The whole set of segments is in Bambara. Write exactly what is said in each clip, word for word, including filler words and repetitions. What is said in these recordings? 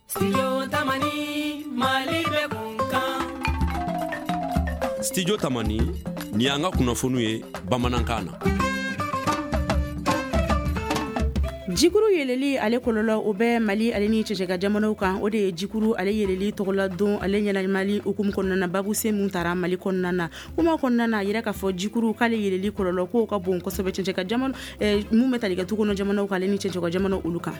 Studio Tamani, Mali bɛ kun kan. Studio Tamani, ni y'an ka kunnafoniw ye bamanankan na. Jikuru yɛlɛli ale kɔlɔlɔ o bɛ Mali ale ni cɛcɛka jamanaw kan. O de ye jikuru ale yɛlɛli tɔgɔla don ale ɲɛnamali hukumu kɔnɔna na, babu sen mun taara Mali kɔnɔna na. Kuma kɔnɔna na, a yira k'a fɔ jikuru k'ale yɛlɛli kɔlɔlɔ k'o ka bon kosɛbɛ cɛcɛka jamana mun bɛ tali kɛ tukɔnɔ jamanaw kan ale ni cɛcɛka jamanaw olu kan.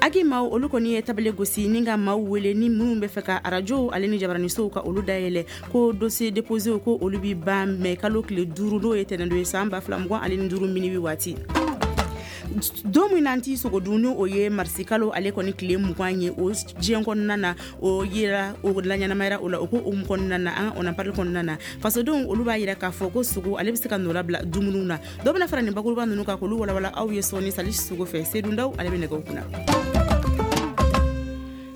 Agi maaw olu kɔni ye tabale gosi ni ka maaw wele ni minnu bɛ fɛ ka arajo ale ni jabaranisow ka olu dayɛlɛ, ko dossier déposé ko olu bi ban mɛ kalo tile duuru, n'o ye tɛnɛndo ye, san ba fila mugan ani ni duuru minuit waati. Don min n'an t'i sogo dun, ni o ye marisikalo ale kɔni tile mugan ye o diɲɛ kɔnɔna na, o yera o laɲɛnamayara o la. O ko o kɔnɔna na, an on en parle kɔnɔna na, fasodenw olu b'a yira k'a fɔ ko sogo ale bɛ se ka nɔ bila dumuniw na. Dɔ bɛna fara nin bakuruba ninnu kan k'olu walawala aw ye sɔɔni Sali Sogo fɛ. Sedundaw ale bɛ nɛgɛw kunna.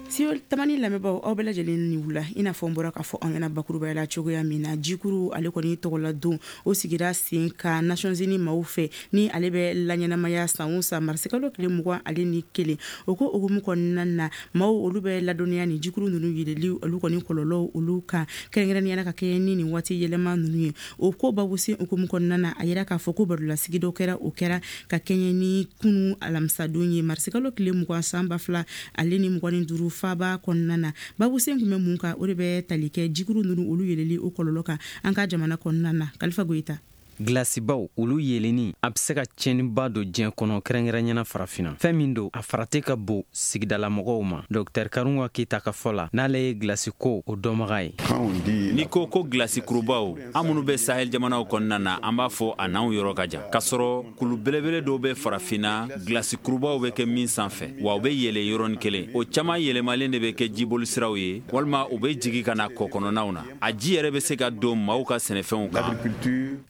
Studio Tamani lamɛnbaaw, aw bɛɛ lajɛlen ni wula. I n'a fɔ n bɔra k'a fɔ aw ɲɛna bakurubaya la cogoya min na, jikuru ale kɔni tɔgɔla don o sigira sen kan Nations Unies maaw fɛ, ni ale bɛ laɲɛnamaya san o san marisikalo tile mugan ani ni kelen. O ko hukumu kɔnɔna na, maaw olu bɛ ladɔnniya ni jikuru ninnu yɛlɛli olu kɔni kɔlɔlɔw olu kan, kɛrɛnkɛrɛnnenya la ka kɛɲɛ ni nin waati yɛlɛma ninnu ye. O ko babusen hukumu kɔnɔna na, a yira k'a fɔ ko barolasigi dɔ kɛra, o kɛra ka kɛɲɛ ni kunu alamisadon ye, marisikalo tile mugan, san ba fila ale ni mugan ni duuru, faaba kɔnɔna na. Babusen tun bɛ mun kan? O de bɛ tali kɛ jikuru ninnu olu yɛlɛli o kɔlɔlɔ kan an ka jamana kɔnɔna na. Kalifa Goyita. Gilasibaw olu yelenni a be se ka tiɲɛniba don diɲɛ kɔnɔ, kɛrɛnkɛrɛnyana Farafinna. Fɛn min don, a farati ka bon sigidalamɔgɔw ma. Dɔktɛr Karunga Keyita ka fɔ la, n'ale ye gilasi ko o dɔnbaga ye. N'i ko ko gilasi kurubaw, an minnu bɛ Sahel jamanaw kɔnɔna na, an b'a fɔ a n'anw yɔrɔ ka jan, k'a sɔrɔ kulu belebele dɔw bɛ Farafinna, gilasi kurubaw bɛ kɛ min sanfɛ, wa u bɛ yɛlɛ yɔrɔnin kelen. O caman yɛlɛmalen de bɛ kɛ jibolisiraw ye, walima u bɛ jigi ka na kɔ kɔnɔnaw na. A ji yɛrɛ bɛ se ka don maaw ka sɛnɛfɛnw kan.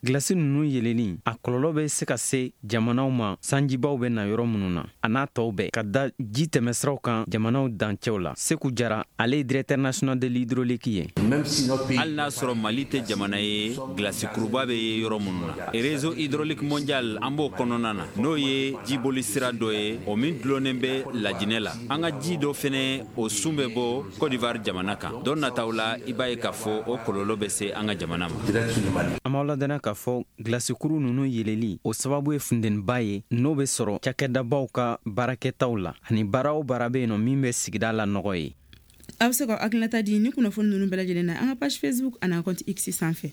Gilasi ninnu yelenni a kɔlɔlɔ bɛ se ka se jamanaw ma sanjibaw bɛ na yɔrɔ minnu na, a n'a tɔw bɛɛ ka da ji tɛmɛsiraw kan jamanaw dancɛw la. Seku Jara, ale ye directeur national de l'hydraulique ye. Hali n'a sɔrɔ Mali tɛ jamana ye gilasi kuruba bɛ ye yɔrɔ minnu na, réseau hydraulique mondial, an b'o kɔnɔna na, n'o ye jiboli sira dɔ ye, o min dulonnen bɛ Lajinɛ la. An ka ji dɔ fɛnɛ, o sun bɛ bɔ Côte d'Ivoire jamana kan. Don nataw la, i b'a ye k'a fɔ o kɔlɔlɔ bɛ se an ka jamana ma. An b'aw ladɔnniya k'a fɔ gilasikuru ninnu yeleli o sababu ye funteniba ye, n'o bɛ sɔrɔ cakɛdabaw ka baarakɛtaw la, ani baara o baara bɛ yen nɔ min bɛ sigida la nɔgɔ ye. A bɛ se ka hakilinata di ni kunnafoni ninnu bɛɛ lajɛlen na an ka page Facebook ani an compte X sanfɛ.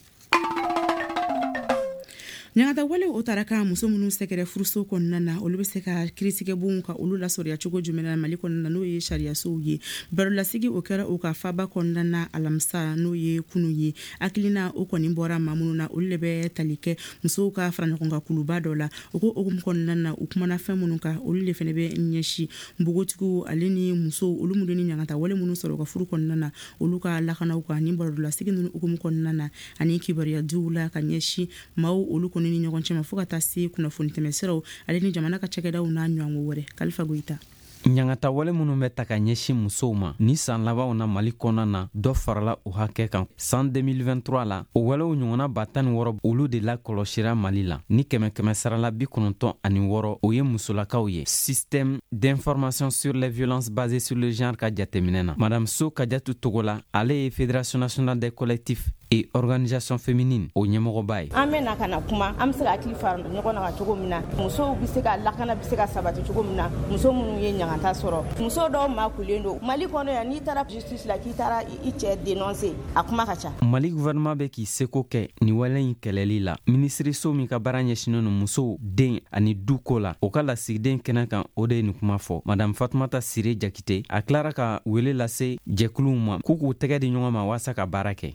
Ɲangata wale o taara ka muso minnu sɛgɛrɛ furuso kɔnɔna na, olu bɛ se ka kiiritigɛbonw ka olu lasɔrɔya cogo jumɛn na Mali kɔnɔna na, n'o ye sariyasow ye. Barolasigi o kɛra o ka faba kɔnɔna na alamisa, n'o ye kunu ye. Hakilina o kɔni bɔra maa minnu na, olu de bɛ tali kɛ musow ka fara ɲɔgɔn kan kuluba dɔ la. O ko hukumu kɔnɔna na, u kumana fɛn minnu kan, olu de fana bɛ ɲɛsin npogotigiw ale ni musow olu minnu ni ɲangata wale minnu sɔrɔ u ka furu kɔnɔna na, olu ka lakanaw kan ni barolasigi ninnu hukumu kɔnɔna na, ani kibaruya diw la ka ɲɛsin maaw olu kɔni ni ɲɔgɔn cɛ ma, fo ka taa se kunnafoni tɛmɛsiraw ale ni jamana ka cakɛdaw n'a ɲɔgɔnko wɛrɛ. Kalifa Goyita. Ɲangata wale minnu bɛ ta ka ɲɛsin musow ma ni san labanw na Mali kɔnɔna na, dɔ farala o hakɛ kan. San deux mille vingt-trois la, o walew ɲɔgɔnna ba tan ni wɔɔrɔ, olu de lakɔlɔsira Mali la, ni kɛmɛ kɛmɛ sarala bi kɔnɔntɔn ani wɔɔrɔ, o ye musolakaw ye, Système d'information sur les violences basées sur le genre ka jateminɛ na. Madame So Kajatu Togola, ale ye Fédération nationale des collectifs et organisation féminine o ɲɛmɔgɔba ye. An bɛ na ka na kuma, an bɛ se ka hakili fara ɲɔgɔn na ka cogo min na musow bɛ se ka lakana, bɛ se ka sabati cogo min na muso minnu ye ɲangata sɔrɔ. Muso dɔw makulen don Mali kɔnɔ yan, n'i taara justice la k'i taara i cɛ dénoncer, a kuma ka ca. Mali gouvernement bɛ k'i seko kɛ nin wale in kɛlɛli la. Minisiriso min ka baara ɲɛsinnen don musow, den ani du ko la, o ka lasigiden kɛnɛ kan, o de ye nin kuma fɔ. Madame Fatumata Sire Jakite, a tilara ka wele lase jɛkuluw ma k'u k'u tɛgɛ di ɲɔgɔn ma waasa ka baara kɛ.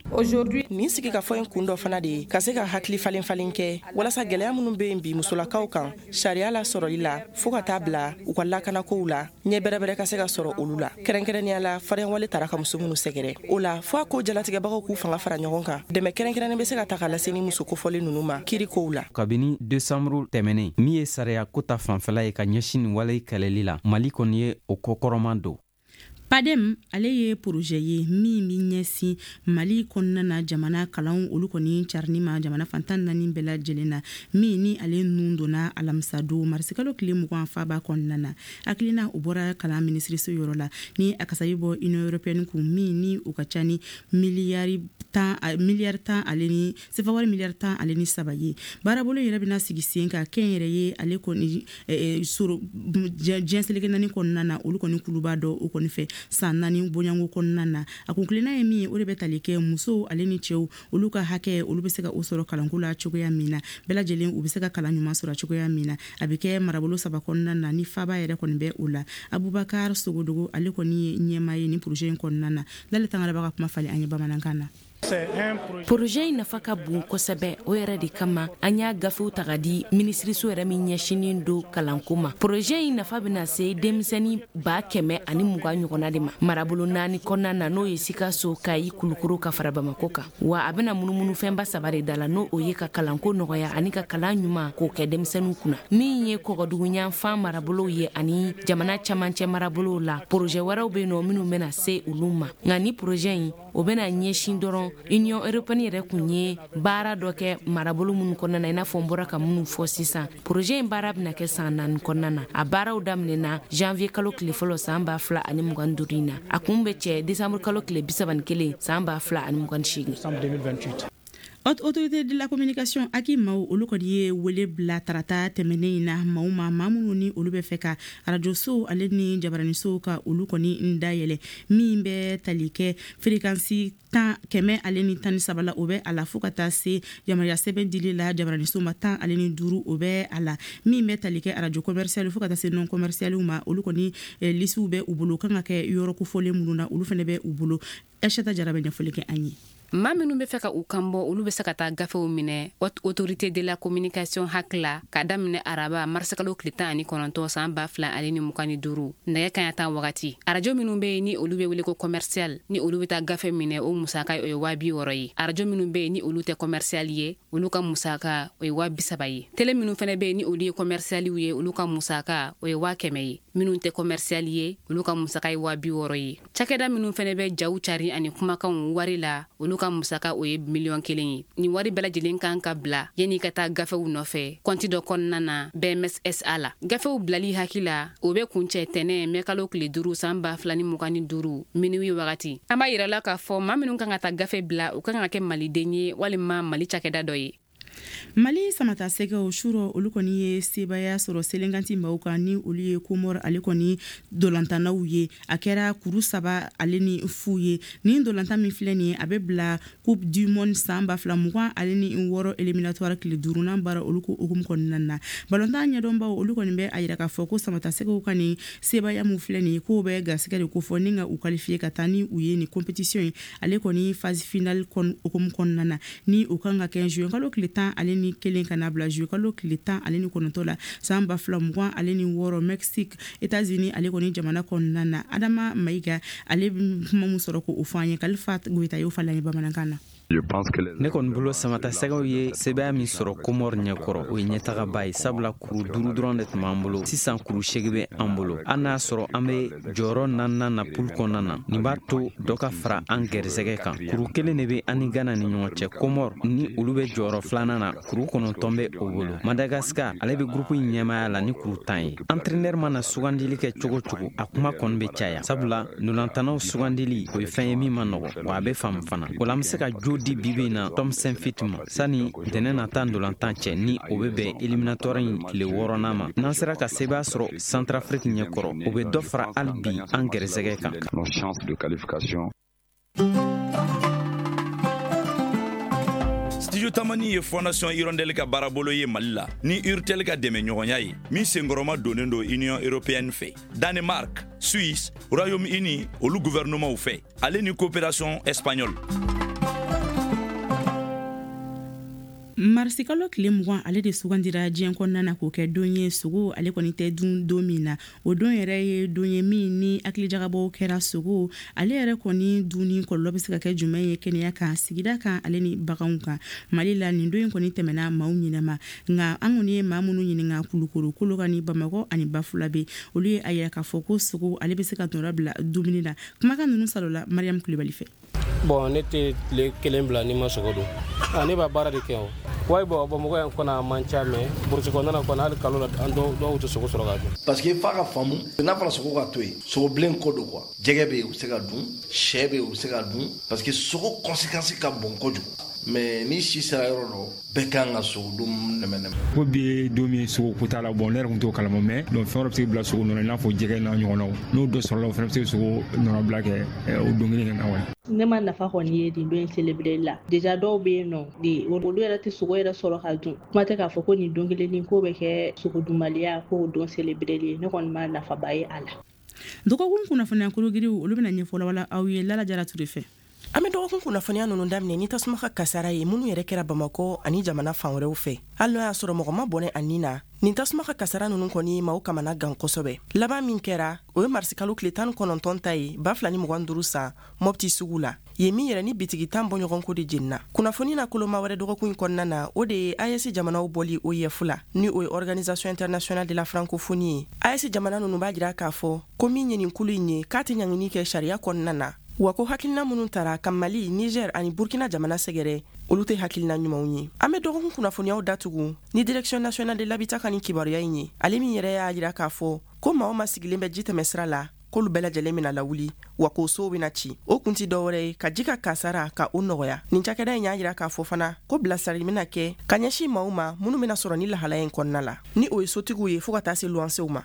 Nin sigi ka fɔ in kun dɔ fana de ye ka se ka hakili falen falen kɛ walasa gwɛlɛya minnu be yen bi musolakaw kan sariya la sɔrɔli la, fɔɔ ka taa bila u ka lakanakow la, ɲɛ bɛrɛbɛrɛ ka se ka sɔrɔ olu la, kɛrɛnkɛrɛnnenya la fariyawale tara ka muso minnu sɛgɛrɛ. O la, fɔɔ a ko jalatigɛbagaw k'u fanga fara ɲɔgɔn kan, dɛmɛ kɛrɛnkɛrɛnnen be se ka ta ka lase ni muso kofɔlen nunu ma kiri kow la. Kabini desanburu tɛmɛnen, min ye sariya ko ta fanfɛla ye ka ɲɛsin nin wale kɛlɛli la, Mali kɔni ye o kɔkɔrɔman don. PADEM ale ye projet ye min bɛ ɲɛsin Mali kɔnɔna na jamana kalanw olu kɔni carinni ma jamana fan tan naani bɛɛ lajɛlen na, min ni ale nun donna alamisa don marisikalo tile mugan faba kɔnɔna na. Hakilina o bɔra kalan minisiriso yɔrɔ la ni a kasabi bɔ Union européenne kun, min ni o ka ca ni miliyari tan miliyari tan ale ni sefa wari miliyari tan ale ni saba ye. Baarabolo yɛrɛ bɛna sigi sen kan kɛnyɛrɛ ye ale kɔni sɔrɔ diɲɛ seleke naani kɔnɔna na, olu kɔni kuluba dɔ o kɔni fɛ san naani bonyanko kɔnɔna na. A kun kilenna ye min ye, o de bɛ tali kɛ musow ale ni cɛw olu ka hakɛ, olu bɛ se ka o sɔrɔ kalanko la cogoya min na, bɛɛ lajɛlen u bɛ se ka kalan ɲuman sɔrɔ cogoya min na. A bɛ kɛ marabolo saba kɔnɔna na ni faba yɛrɛ kɔni bɛ o la. Abubakar Sogodogo, ale kɔni ye ɲɛmaa ye ni projet in kɔnɔna na. Lale Tangara b'a ka kuma falen an ye bamanankan na. Projet in nafa ka bon kosɛbɛ. O yɛrɛ de kama an y'a gafew ta ka di minisiriso yɛrɛ min ɲɛsinin don kalanko ma. Projet in nafa bɛna se denmisɛnnin ba kɛmɛ ani mugan ɲɔgɔnna de ma marabolo naani kɔnɔna na, n'o ye Sikaso, Kayi, Kulukoro ka fara Bamako kan. Wa a bɛna munumunufɛnba saba de da la, n'o o ye ka kalanko nɔgɔya ani ka kalan ɲuman k'o kɛ denmisɛnninw kunna. Min ye kɔgɔduguyanfan marabolow ye ani jamana camancɛ marabolow la, projet wɛrɛw bɛ yen nɔ minnu bɛna se olu ma. Nka ni projet in, o bɛna ɲɛsin dɔrɔn Union européenne yɛrɛ kun ye baara dɔ kɛ marabolo minnu kɔnɔna na, i n'a fɔ n bɔra ka minnu fɔ sisan. Projet in baara bɛna kɛ san naani kɔnɔna na. A baaraw daminɛna janvier kalo tile fɔlɔ san ba fila ani mugan duuru in na. A kun bɛ cɛ décembre kalo tile bi saba ni kelen san ba fila ani mugan seegin. Haute Autorité de la communication A C I maaw, olu kɔni ye wele bila tarata tɛmɛnen in na maaw ma, maa minnu ni olu bɛ fɛ ka arajosow ale ni jabaranisow ka olu kɔni dayɛlɛ, min bɛ tali kɛ fréquence tan kɛmɛ ale ni tan ni saba la, o bɛ a la, fo ka taa se yamaruya sɛbɛn dili la jabaranisow ma tan ale ni duuru, o bɛ a la. Min bɛ tali kɛ arajo commercial fo ka taa se non commercial ma, olu kɔni lisiw bɛ u bolo, kan ka kɛ yɔrɔ kofɔlen minnu na, olu fana bɛ u bolo. Aïssata Jara bɛ ɲɛfɔli kɛ an ye. Maa minnu bɛ fɛ ka u kan bɔ, olu bɛ se ka taa gafew minɛ Haute Autorité de la communication HAC la ka daminɛ araba marisikalo tile tan ani kɔnɔntɔn san ba fila ale ni mugan ni duuru nɛgɛ kaɲa tan wagati. Arajo minnu bɛ yen ni olu bɛ wele ko commercial, ni olu bɛ taa gafe minɛ, o musaka o ye waa bi wɔɔrɔ ye. Arajo minnu bɛ yen ni olu tɛ commercial ye, olu ka musaka o ye waa bi saba ye. Télé minnu fana bɛ yen ni olu ye commercialiw ye, olu ka musaka o ye waa kɛmɛ ye. Minnu tɛ commercial ye, olu ka musaka ye waa bi wɔɔrɔ ye. Cakɛda minnu fana bɛ jaw cari ani kumakanw wari la, olu ka musaka o ye miliyɔn kelen ye. Nin wari bɛɛ lajɛlen kan ka bila yanni ka taa gafew nɔfɛ kɔnti dɔ kɔnɔna na B M S S A la. Gafew bilali haki la, o bɛ kuncɛ tɛnɛ mɛkalo tile duuru san ba fila ni mugan ni duuru minuit wagati. An b'a yira la k'a fɔ maa minnu kan ka taa gafe bila, u kan ka kɛ maliden ye walima Mali cakɛda dɔ ye. Mali samata sɛgɛw surɔ, olu kɔni ye sebaya sɔrɔ selenkanti maaw kan, ni olu ye Komɔrɔ ale kɔni dolantannaw ye. A kɛra kuru saba ale ni fu ye. Nin dolantan min filɛ nin ye, a bɛ bila Coupe du monde san ba fila mugan ale ni wɔɔrɔ éliminatoire tile duurunan baara olu ko hukumu kɔnɔna na. Balontan ɲɛdɔnbaw, olu kɔni bɛ a yira k'a fɔ ko samata sɛgɛw ka nin sebaya mun filɛ nin ye, k'o bɛ garisɛgɛ de kofɔ ni ka u qualifier ka taa ni u ye nin compétition ye ale kɔni phase finale hukumu kɔnɔna na, ni o kan ka kɛ juin kalo tile tan ale ni kelen ka na bila juillet kalo tile tan ale ni kɔnɔntɔn la san ba fila mugan ale ni wɔɔrɔ Mexique, États-Unis ale kɔni jamana kɔnɔna na. Adama Mayiga, ale bɛ kuma mun sɔrɔ k'o fɔ an ye, Kalifa Goyita y'o falen an ye bamanankan na. Ne kɔni bolo, samata sɛgɛw ye sebaya min sɔrɔ Komɔr ɲɛkɔrɔ, o ye ɲɛtagaba ye, sabula kuru duuru dɔrɔn de tun b'an bolo. Sisan kuru segi bɛ an bolo. An n'a sɔrɔ an be jɔyɔrɔ naaninan na poule kɔnɔna na, nin b'a to dɔ ka fara an gɛrisɛgɛ kan. Kuru kelen de be an ni Gana ni ɲɔgɔn cɛ. Komɔr ni olu be jɔyɔrɔ filanan na, kuru kɔnɔntɔn bɛ o bolo. Madagasikar, ale be gurupu in ɲɛmaya la ni kuru tan ye. Entraîneur mana sugandili kɛ cogo cogo, a kuma kɔni be caya, sabula ntolantanaw sugandili, o ye fɛn ye min ma nɔgɔ, wa a be faamu fana. O la an be se ka jo di bibi in na Tom Saintfiet ma sani ntɛnɛn nata ntolantan cɛ, ni o bɛ bɛn éliminatoire in tile wɔɔrɔnan ma. N'an sera ka sebaya sɔrɔ Centrafrique ɲɛkɔrɔ, o bɛ dɔ fara hali bi an gɛrɛsɛgɛ kan. Studio Studio Tamani ye Fondation Hirondelle ka baarabolo ye Mali la ni Urtel ka dɛmɛ ɲɔgɔnya ye, min senkɔrɔma donnen don Union européenne fɛ, Danemark, Suisse, Royaume-Uni olu gouvernementw fɛ, ale ni coopération espagnole. Marisikalo tile mugan ale de sugandira diɲɛ kɔnɔna na k'o kɛ don ye sogo ale kɔni tɛ dun don min na. O don yɛrɛ ye don ye min ni hakilijagabɔw kɛra sogo ale yɛrɛ kɔni dunni kɔlɔlɔ bɛ se ka kɛ jumɛn ye kɛnɛya kan, sigida kan ale ni baganw kan. Mali la nin don in kɔni tɛmɛna maaw ɲinama, nka an kɔni ye maa minnu ɲininka Kulukoro, Kolokani, Bamakɔ ani Bafulabe, olu ye a yira k'a fɔ ko sogo ale bɛ se ka nɔrɔ bila dumuni na. Kumakan ninnu salola Mariam Kulibali fɛ. Bon, ne tɛ tile kelen bila ni ma sogo dun. Ah, ne b'a baara de kɛ o. Wayi bɔn Bamakɔ yan kɔnɔ a man ca, mais burusi kɔnɔna na kɔni hali kalo la an dɔw dɔw tɛ sogo sɔrɔ ka dun. Parce que f'a ka faamu n'a fɔra sogo ka to yen, sogo bilen ko don quoi. Jɛgɛ bɛ yen u bɛ se ka dun, sɛ bɛ yen u bɛ se ka dun, parce que sogo conséquence ka bon kojugu. Mais ni si sera yɔrɔ dɔ, bɛɛ kan ka sogo dun nɛmɛ nɛmɛ. Ko bi ye don min sogo ko t'a la, bon ne yɛrɛ tun t'o kalama, mais donc fɛn wɛrɛ bɛ se ka bila sogo nɔ la i n'a fɔ jɛgɛ n'a ɲɔgɔnnaw, n'o dɔ sɔrɔla o fana bɛ se ka sogo nɔnɔbila kɛ o don kelen na wa. Ne ma nafa kɔni ye nin don in célébrer la. Déjà dɔw bɛ yen nɔ de olu yɛrɛ tɛ sogo yɛrɛ sɔrɔ ka dun. Kuma tɛ k'a fɔ ko nin don kelen nin ko bɛ kɛ sogo dunbaliya k'o don célébrer ye. Ne kɔni ma nafaba ye a la. Dɔgɔkun kunnafoniya kologiriw olu bɛna ɲɛfɔ wala aw ye Lala Jara Ture fɛ. An bɛ dɔgɔkun kunnafoniya ninnu daminɛ ni tasuma ka kasara ye minnu yɛrɛ kɛra Bamakɔ ani jamana fan wɛrɛw fɛ. Hali n'o y'a sɔrɔ mɔgɔ ma bɔnɛ a nin na, nin tasuma ka kasara ninnu kɔni maaw kamana gan kosɛbɛ. Laban min kɛra, o ye marisikalo tile tan ni kɔnɔntɔn ta ye ba fila ni mugan duuru san Mopti sugu la. Yen min yɛrɛ ni bitigi tan bɔɲɔgɔnko de jenina. Kunnafoni na koloma wɛrɛ dɔgɔkun in kɔnɔna na, o de ye A E S jamanaw bɔli O I F la, ni o ye Organisation Internationale de la Francophonie ye. A E S jamana ninnu b'a jira k'a fɔ ko min ye nin kulu in ye k'a tɛ ɲangini kɛ sariya kɔnɔna na, wa ko hakilina minnu tara ka Mali, Niger ani Burkina jamana sɛgɛrɛ, olu tɛ hakilina ɲumanw ye. An bɛ dɔgɔkun kunnafoniyaw datugu ni Direction nationale de l'habitat ka nin kibaruya in ye, ale min yɛrɛ y'a jira k'a fɔ ko maa o maa sigilen bɛ ji tɛmɛ sira la, k'olu bɛɛ lajɛlen bɛna lawuli, wa k'o sow bɛna ci. O kun ti dɔwɛrɛ ye ka ji ka kasara ka o nɔgɔya. Nin cakɛda in y'a jira k'a fɔ fana ko bilasirali bɛna kɛ ka ɲɛsin maaw ma minnu bɛna sɔrɔ ni lahalaya in kɔnɔna la, ni o ye sotigiw ye fo ka taa se luwansew ma.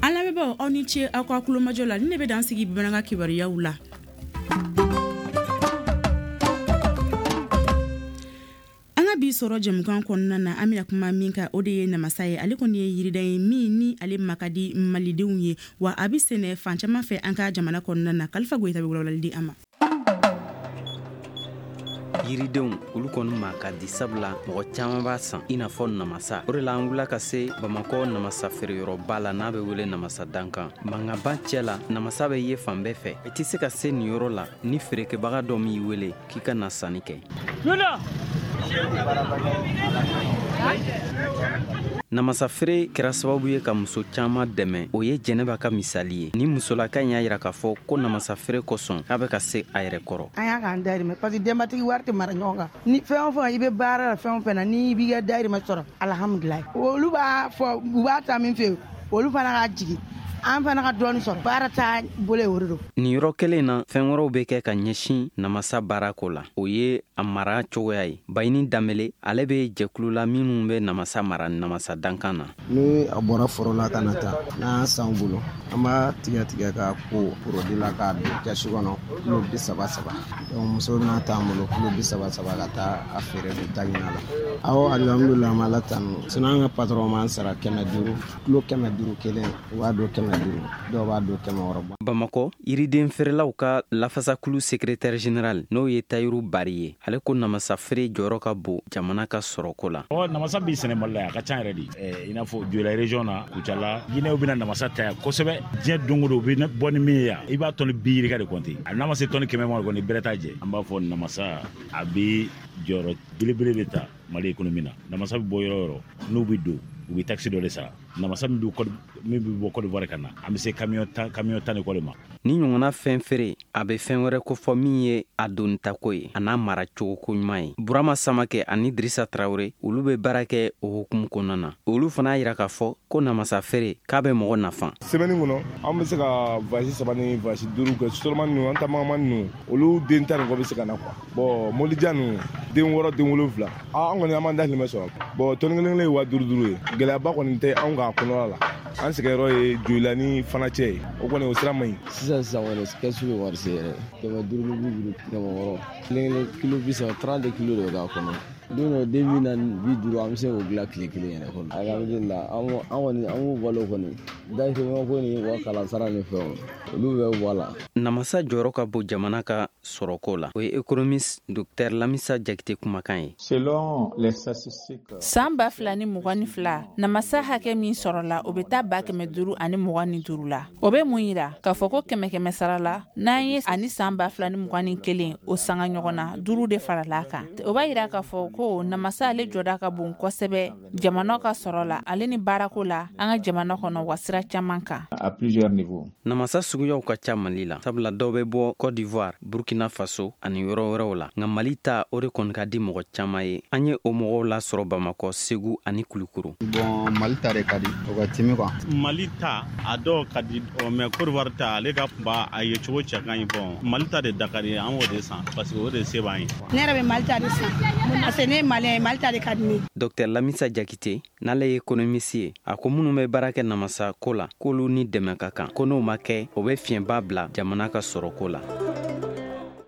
An lamɛnbaaw, aw ni ce aw ka kulomajɔ la. Ni ne bɛ dan sigi bamanankan kibaruyaw la. An ka bi sɔrɔ jɛmukan kɔnɔna na, an bɛna kuma min kan o de ye namasa ye. Ale kɔni ye yiriden ye min ni ale ma ka di malidenw ye, wa a bɛ sɛnɛ fan caman fɛ an ka jamana kɔnɔna na. Kalifa Goyita bɛ walawalali di an ma. Yiridenw olu kɔni ma ka di, sabula mɔgɔ caman b'a san i n'a fɔ namasa. O de la an wulila ka se Bamakɔ namasa feereyɔrɔba la n'a bɛ wele namasa dankan. Mankanba cɛ la, namasa bɛ ye fan bɛɛ fɛ. I tɛ se ka se nin yɔrɔ la ni feerekɛbaga dɔ m'i wele k'i ka na sanni kɛ. Namasa feere kɛra sababu ye ka muso caman dɛmɛ. O ye Jɛnɛba ka misali ye. Ni musolaka in y'a yira k'a fɔ ko namasa feere kosɔn k'a bɛ ka se a yɛrɛ kɔrɔ. An y'a k'an dayirimɛ parce que denbatigi wari tɛ mara ɲɔgɔn kan. Ni fɛn o fɛn i bɛ baara la, fɛn o fɛn na, n'i b'i ka dayirimɛ sɔrɔ, alihamudulilayi. Olu b'a fɔ u b'a ta min fɛ, olu fana ka jigin. An fana ka dɔɔni sɔrɔ, baara t'a bolo o de don. Nin yɔrɔ kelen na, fɛn wɛrɛw bɛ kɛ ka ɲɛsin namasa baarako la. O ye a mara cogoya ye. Bayini Danbele, ale bɛ jɛkulu la minnu bɛ namasa mara namasa dankan na. Ni a bɔra foro la ka na taa, n'an san bolo, an b'a tigɛ tigɛ ka ko porodi la k'a don kɛsu kɔnɔ kilo bi saba saba. Donc muso bɛna t'an bolo kilo bi saba saba ka taa a feere de ta ɲina la. Awɔ, alihamudulilayi, an b'Ala tanu. Sinon an ka patron b'an sara kɛmɛ duuru, kilo kɛmɛ duuru kelen, u b'a don kɛmɛ duuru, dɔw b'a don kɛmɛ wɔɔrɔ bɔ. Bamakɔ yiriden feerelaw ka lafasakulu secrétaire général n'o ye Tayiru Bari ye, ale ko namasa feere jɔyɔrɔ ka bon jamana ka sɔrɔko la. Ɔ namasa b'i sɛnɛ Mali la, a ka ca yɛrɛ de. I n'a fɔ Joyila région na, Kucala, Guinée bɛna namasa ta yan kosɛbɛ. Diɲɛ don o don u bɛ bɔ ni min ye yan, i b'a tɔni bi yirika de compter. A n'a ma se tɔni kɛmɛ ma kɔni, bɛrɛ t'a jɛ. An b'a fɔ namasa a bɛ jɔyɔrɔ belebele de ta Mali économie na. Namasa bɛ bɔ yɔrɔ o yɔrɔ, n'u bɛ don, u bɛ taxe dɔ de sara. Namasa min bɛ min bɛ bɔ Côte d'Ivoire ka na, an bɛ se camion tan camion tan ni kɔ de ma. Ni ɲɔgɔnna fɛn feere, a bɛ fɛn wɛrɛ kofɔ min ye a donitako ye, a n'a mara cogoko ɲuman ye. Burama Samakɛ ani Dirisa Tarawele, olu bɛ baara kɛ o hukumu kɔnɔna na. Olu fana y'a yira k'a fɔ ko namasa feere k'a bɛ mɔgɔ nafa. Semaine kɔnɔ, an bɛ se ka voyage saba ni voyage duuru kɛ. Sotrama ninnu, an taamama ninnu, olu den tan ni kɔ bɛ se ka na quoi. Bon, mobili jan ninnu, den wɔɔrɔ, den wolonwula, an kɔni an b'an dahirimɛ sɔrɔ. Bon, tɔni kelen kelen ye wa duuru duuru ye. Gɛlɛyaba kɔni tɛ anw kan kɔnɔna la. An sɛgɛnyɔrɔ ye Joyila ni Fanacɛ ye, o kɔni o sira man ɲi. Sisan sisan kɔni kɛsu bɛ wari se yɛrɛ, kɛmɛ duuru ni bi duuru, kɛmɛ wɔɔrɔ, kelen kelen kilo bi saba, trente kilo de bɛ k'a kɔnɔ. Don dɔ den bi naani bi duuru an bɛ se k'o dilan tile kelen yɛrɛ kɔnɔ. Alihamudulila, an kɔni an b'o balo kɔni. Dahirimɛko ni wa kalansara ni fɛnw olu bɛ bɔ a la. Namasa jɔyɔrɔ ka bon jamana ka sɔrɔko la. O ye économiste docteur Lamissa Diakité kumakan ye. Selon les statistiques, san ba fila ni mugan ni fila, namasa hakɛ min sɔrɔla, o bɛ taa ba kɛmɛ duuru ani mugan ni duuru la. O bɛ mun yira? K'a fɔ ko kɛmɛ kɛmɛ sara la, n'an ye ani san ba fila ni mugan ni kelen o sanga ɲɔgɔn na, duuru de farala a kan. O b'a yira k'a fɔ ko namasa ale jɔda ka bon kosɛbɛ jamana ka sɔrɔ la, ale ni baarako la an ka jamana kɔnɔ, wa sira caman kan. À plusieurs niveaux. Namasa suguyaw ka ca Mali la, sabula dɔw bɛ bɔ Côte d'Ivoire, Burkina Faso ani yɔrɔ wɛrɛw la. Nka Mali ta, o de kɔni ka di mɔgɔ caman ye. An ye o mɔgɔw lasɔrɔ Bamakɔ, Segu ani Kulukoro. Bon, Mali ta de ka di, o ka timi quoi. Mali ta, a dɔw ka di, mais Côte d'Ivoire ta, ale ka kunba, a ye cogo cɛ ka ɲi. Bon, Mali ta de da ka di, an b'o de san parce que o de se b'an ye. Ne yɛrɛ bɛ Mali ta de san parce que ne ye malien ye, Mali ta de ka di ne ye. Docteur Lamissa Diakité, n'ale ye économiste ye, a ko minnu bɛ baara kɛ namasa ko la, k'olu ni dɛmɛ ka kan, ko n'o ma kɛ, o bɛ fiɲɛba bila jamana ka sɔrɔko la.